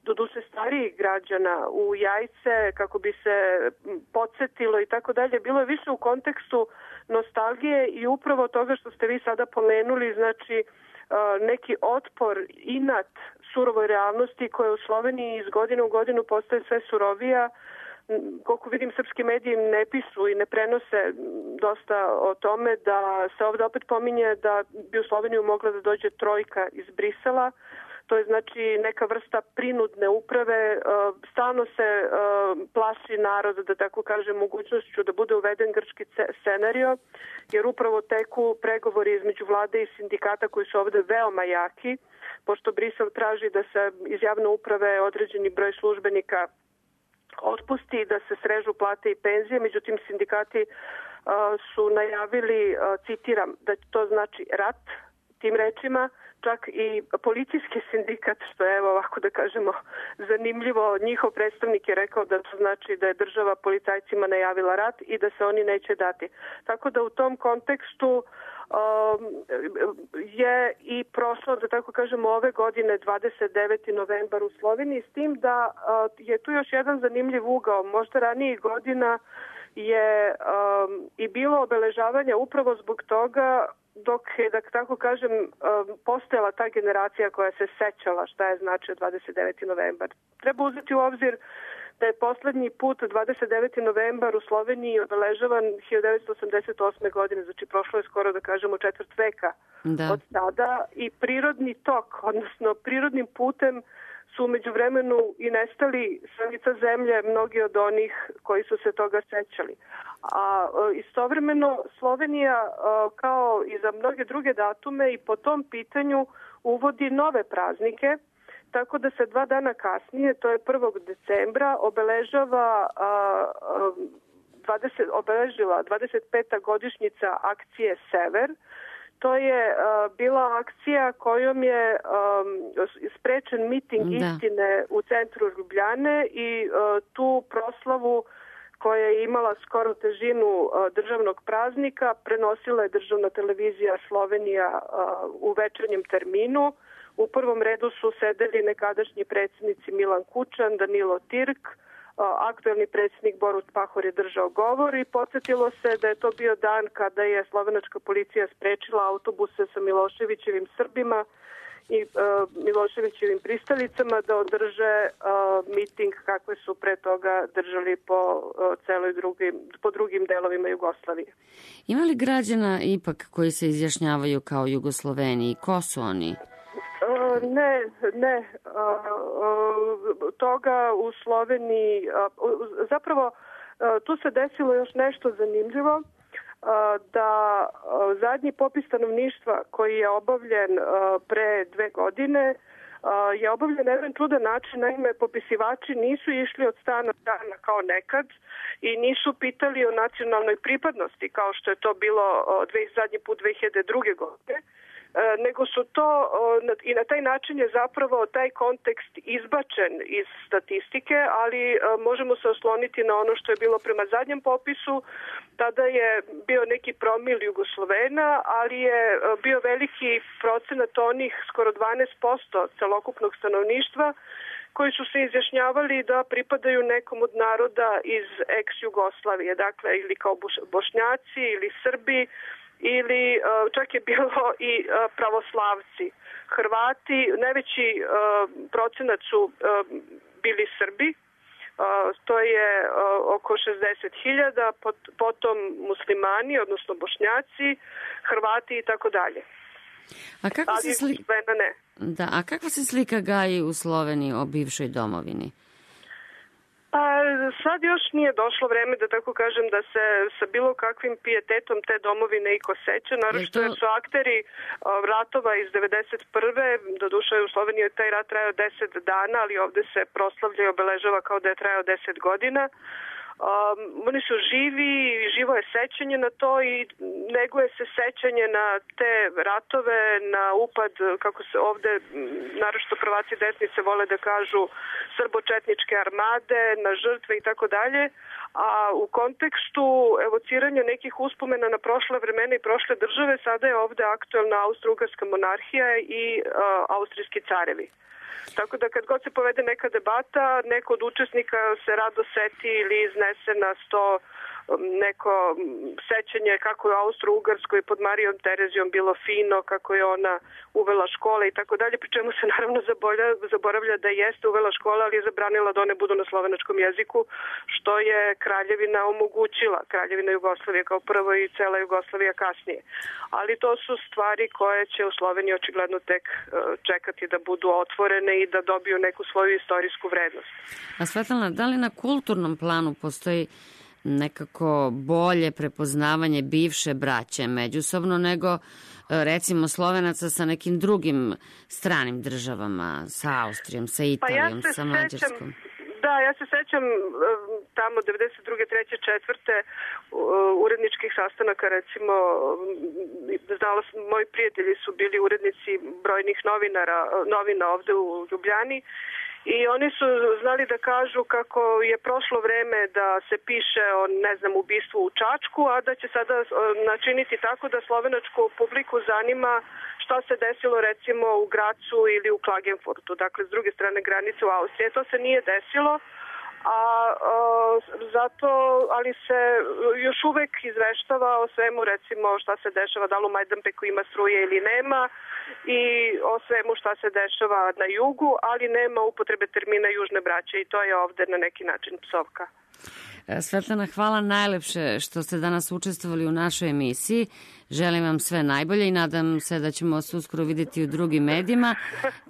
doduše starijih građana u Jajce kako bi se podsjetilo i tako dalje, bilo je više u kontekstu nostalgije i upravo toga što ste vi sada pomenuli, znači neki otpor, inat surovoj realnosti koja u Sloveniji iz godine u godinu postaje sve surovija. Koliko vidim, srpski mediji ne pišu i ne prenose dosta o tome, da se ovdje opet pominje da bi u Sloveniju mogla da dođe trojka iz Brisela. To je znači neka vrsta prinudne uprave. Stalno se plaši narod, da tako kažem, mogućnošću da bude uveden grčki scenario, jer upravo teku pregovori između vlade i sindikata koji su ovdje veoma jaki, pošto Brisel traži da se iz javne uprave određeni broj službenika otpusti, da se srežu plate i penzije. Međutim, sindikati su najavili, citiram, da to znači rat, tim rečima. Čak i policijski sindikat, što je, evo ovako da kažemo, zanimljivo, njihov predstavnik je rekao da to znači da je država policajcima najavila rat i da se oni neće dati. Tako da u tom kontekstu je i prošlo, da tako kažemo, ove godine 29. novembar u Sloveniji, s tim da je tu još jedan zanimljiv ugao. Možda ranijih godina je i bilo obeležavanja upravo zbog toga dok je, da tako kažem, postojala ta generacija koja se sećala šta je značio 29. novembar. Treba uzeti u obzir da je poslednji put 29. novembar u Sloveniji obeležavan 1988. godine, znači prošlo je skoro, da kažemo, četvrt veka od tada i prirodni tok, odnosno prirodnim putem su umeđu vremenu i nestali sa lica zemlje mnogi od onih koji su se toga sećali. A istovremeno Slovenija, kao i za mnoge druge datume, i po tom pitanju uvodi nove praznike, tako da se 2 dana kasnije, to je 1. decembra, obeležava obeležila 25. godišnjica akcije Sever. To je bila akcija kojom je sprečen miting istine u centru Ljubljane i tu proslavu koja je imala skoro težinu državnog praznika prenosila je državna televizija Slovenija u večernjem terminu. U prvom redu su sedeli nekadašnji predsjednici Milan Kučan, Danilo Tirk, aktuelni predsjednik Borut Pahor je držao govor i podsjetilo se da je to bio dan kada je slovenačka policija sprečila autobuse sa Miloševićevim Srbima i Miloševićevim pristalicama da održe miting kakve su pre toga držali po drugim delovima Jugoslavije. Ima li građana ipak koji se izjašnjavaju kao Jugosloveni? Ko su oni? Ne. Toga u Sloveniji, zapravo tu se desilo još nešto zanimljivo, da zadnji popis stanovništva koji je obavljen pre 2 godine je obavljen na jedan čudan način. Naime, popisivači nisu išli od stana do stana kao nekad i nisu pitali o nacionalnoj pripadnosti kao što je to bilo zadnji put 2002. godine, nego su to i na taj način je zapravo taj kontekst izbačen iz statistike, ali možemo se osloniti na ono što je bilo prema zadnjem popisu. Tada je bio neki promil Jugoslovena, ali je bio veliki procenat onih, skoro 12% celokupnog stanovništva, koji su se izjašnjavali da pripadaju nekom od naroda iz ex-Jugoslavije, dakle ili kao Bošnjaci ili Srbi, ili čak je bilo i pravoslavci. Hrvati, najveći procenat su bili Srbi, to je oko 60.000, potom muslimani, odnosno Bošnjaci, Hrvati i tako dalje. A kakva se slika gaji u Sloveniji o bivšoj domovini? Pa sad još nije došlo vreme, da tako kažem, da se sa bilo kakvim pijetetom te domovine i koseća, naročito jer su akteri ratova iz 1991. Doduše u Sloveniji je taj rat trajao 10 dana, ali ovde se proslavlja i obeležava kao da je trajao 10 godina. Oni su živi, živo je sećanje na to i neguje se sećanje na te ratove, na upad, kako se ovde, naročito prvaci desnice vole da kažu, srbočetničke armade, na žrtve i tako dalje. A u kontekstu evociranja nekih uspomena na prošle vremena i prošle države, sada je ovde aktuelna Austro-Ugarska monarhija i austrijski carevi. Tako da kad god se povede neka debata, neko od učesnika se rado seti ili iznese na sto neko sećanje kako je Austro-Ugarskoj pod Marijom Terezijom bilo fino, kako je ona uvela škole i tako dalje, pri čemu se naravno zaboravlja da jeste uvela škole, ali je zabranila da one budu na slovenačkom jeziku, što je Kraljevina omogućila, Kraljevina Jugoslavije kao prvo i cela Jugoslavija kasnije. Ali to su stvari koje će u Sloveniji očigledno tek čekati da budu otvorene i da dobiju neku svoju istorijsku vrednost. A Svetlana, da li na kulturnom planu postoji nekako bolje prepoznavanje bivše braće međusobno nego recimo Slovenaca sa nekim drugim stranim državama, sa Austrijom, sa Italijom, sa Mađarskom? Da, ja se sećam tamo 92. 3. 4. uredničkih sastanaka, recimo, znala sam, moji prijatelji su bili urednici brojnih novina ovde u Ljubljani. I oni su znali da kažu kako je prošlo vreme da se piše o, ne znam, ubistvu u Čačku, a da će sada načiniti tako da slovenačku publiku zanima šta se desilo recimo u Gracu ili u Klagenfurtu, dakle s druge strane granice u Austriji. To se nije desilo, ali se još uvek izveštava o svemu, recimo šta se dešava, da li u Majdanpeku ima struje ili nema, i o svemu šta se dešava na jugu, ali nema upotrebe termina južne braće i to je ovde na neki način psovka. Svetlana, hvala najlepše što ste danas učestvovali u našoj emisiji. Želim vam sve najbolje i nadam se da ćemo vas uskoro vidjeti u drugim medijima.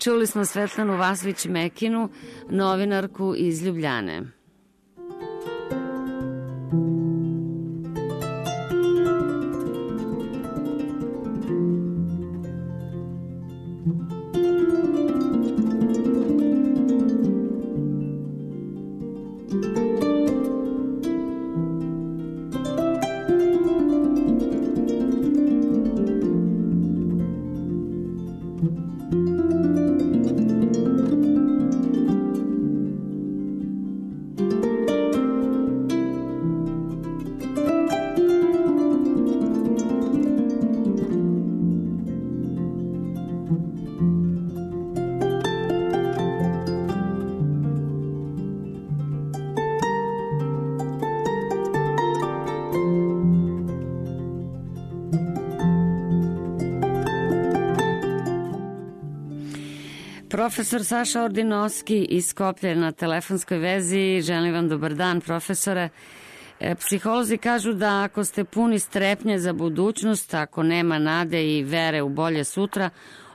Čuli smo Svetlanu Vasović-Mekinu, novinarku iz Ljubljane. Profesor Saša Ordinovski iz Skoplja na telefonskoj vezi. Želim vam dobar dan, profesore. Psiholozi kažu da ako ste puni strepnje za budućnost, ako nema nade i vere u bolje sutra,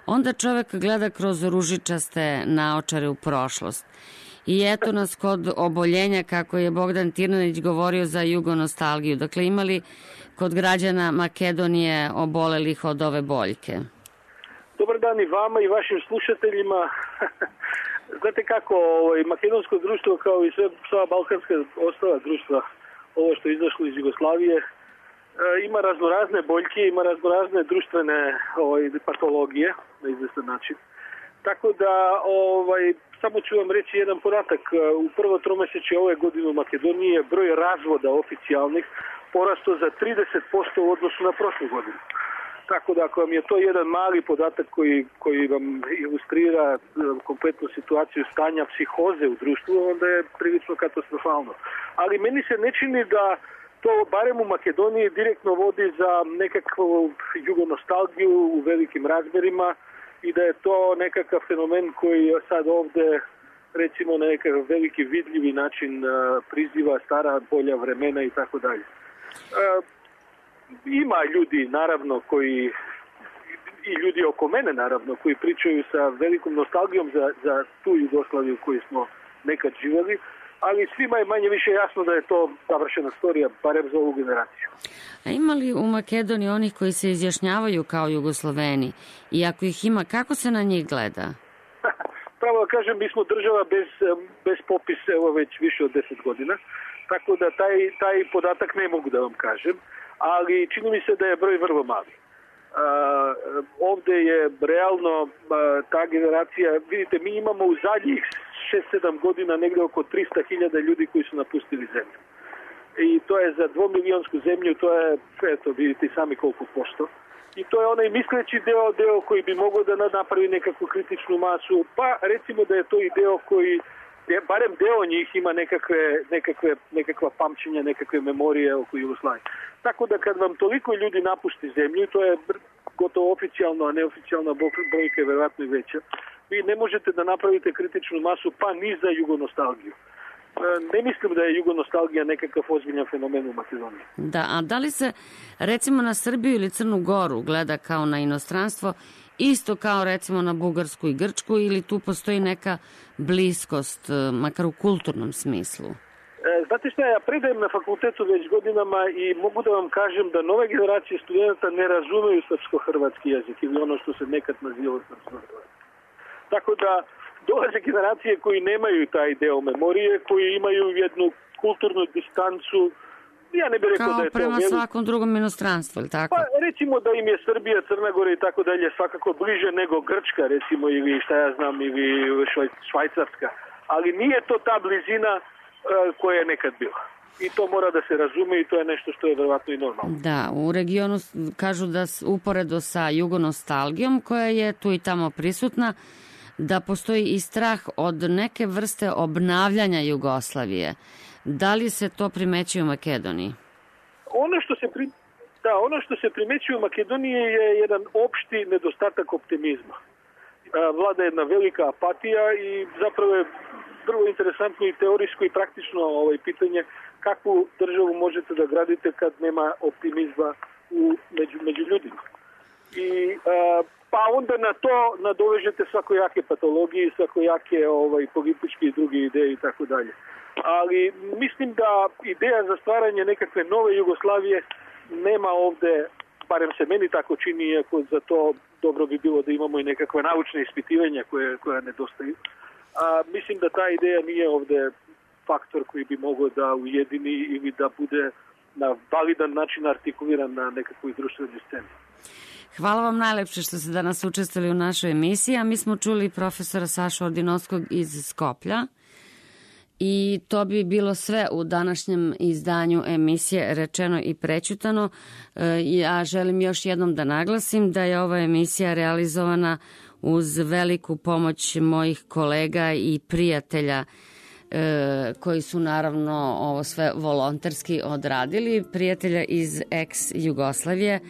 onda čovek gleda kroz ružičaste naočare u prošlost. I eto nas kod oboljenja, kako je Bogdan Tirnanić govorio za jugonostalgiju. Dakle, imali kod građana Makedonije obolelih od ove boljke? Dobar dan i vama i vašim slušateljima. Znate kako, makedonsko društvo kao i sva balkanska ostala društva, ovo što je izašlo iz Jugoslavije, ima raznorazne boljke, ima raznorazne društvene patologije na izvestan način. Tako da, samo ću vam reći jedan podatak. U prvo tromesečje ove godine u Makedoniji je broj razvoda oficijalnih porastao za 30% u odnosu na prošlu godinu. Tako da, ako vam je to jedan mali podatak koji vam ilustrira kompletnu situaciju stanja psihoze u društvu, onda je prilično katastrofalno. Ali meni se ne čini da to, barem u Makedoniji, direktno vodi za nekakvu jugonostalgiju u velikim razmerima i da je to nekakav fenomen koji sad ovde, recimo, na nekakav veliki vidljivi način priziva stara bolja vremena i tako dalje. Ima ljudi, naravno, i ljudi oko mene, naravno, koji pričaju sa velikom nostalgijom za tu Jugoslaviju koju smo nekad živjeli, ali svima je manje više jasno da je to završena storija, barem za ovu generaciju. A ima li u Makedoniji onih koji se izjašnjavaju kao Jugosloveni? I ako ih ima, kako se na njih gleda? Pravo da kažem, mi smo država bez popisa, evo već više od 10 godina, tako da taj podatak ne mogu da vam kažem, ali čini mi se da je broj vrlo mali. Ovde je realno ta generacija, vidite, mi imamo u zadnjih 6-7 godina negde oko 300.000 ljudi koji su napustili zemlju. I to je za 2-milionsku zemlju, to je, eto, vidite sami koliko posto. I to je onaj misleći deo koji bi mogao da napravi nekakvu kritičnu masu, pa recimo da je to i deo koji, barem deo njih ima nekakva pamćenja, nekakve memorije oko Jugoslavije. Tako da kad vam toliko ljudi napusti zemlju, to je gotovo oficijalno, a neoficijalna brojka je verovatno i veća, vi ne možete da napravite kritičnu masu, pa ni za jugonostalgiju. Ne mislim da je jugonostalgija nekakav ozbiljan fenomen u Makedoniji. Da, a da li se recimo na Srbiju ili Crnu Goru gleda kao na inostranstvo, isto kao recimo na Bugarsku i Grčku, ili tu postoji neka bliskost, makar u kulturnom smislu? Znate šta, ja predajem na fakultetu već godinama i mogu da vam kažem da nove generacije studenta ne razumeju srpsko-hrvatski jezik ili ono što se nekad nazivalo srpsko-hrvatski. Tako da dolaze generacije koji nemaju taj deo memorije, koji imaju jednu kulturnu distancu. Ja ne bih rekao da je to... Kao prema svakom drugom inostranstvu, ili tako? Pa recimo da im je Srbija, Crna Gora i tako dalje svakako bliže nego Grčka, recimo, ili šta ja znam, ili Švajcarska. Ali nije to ta blizina koja je nekad bila. I to mora da se razume i to je nešto što je verovatno i normalno. Da, u regionu kažu da uporedo sa jugonostalgijom koja je tu i tamo prisutna, da postoji i strah od neke vrste obnavljanja Jugoslavije. Da li se to primećuje u Makedoniji? Ono što se primećuje u Makedoniji je jedan opšti nedostatak optimizma. Vlada jedna velika apatija i zapravo je vrlo interesantno i teorijsko i praktično pitanje kakvu državu možete da gradite kad nema optimizma među ljudima. I pa onda na to nadovežete svakojake patologije, svakojake političke i druge ideje i tako dalje. Ali mislim da ideja za stvaranje nekakve nove Jugoslavije nema ovde, barem se meni tako čini, iako za to dobro bi bilo da imamo i nekakve naučne ispitivanja koja nedostaju. Mislim da ta ideja nije ovde faktor koji bi mogao da ujedini ili da bude na validan način artikuliran na nekakvoj društvenoj sceni. Hvala vam najlepše što ste danas učestvovali u našoj emisiji, a mi smo čuli profesora Sašu Ordinovskog iz Skoplja. I to bi bilo sve u današnjem izdanju emisije Rečeno i prećutano. Ja želim još jednom da naglasim da je ova emisija realizovana uz veliku pomoć mojih kolega i prijatelja koji su naravno ovo sve volonterski odradili, prijatelja iz ex-Jugoslavije.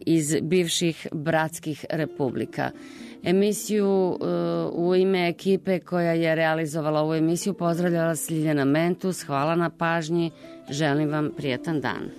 iz bivših bratskih republika. Emisiju u ime ekipe koja je realizovala ovu emisiju pozdravljala Ljiljana Mentus. Hvala na pažnji. Želim vam prijetan dan.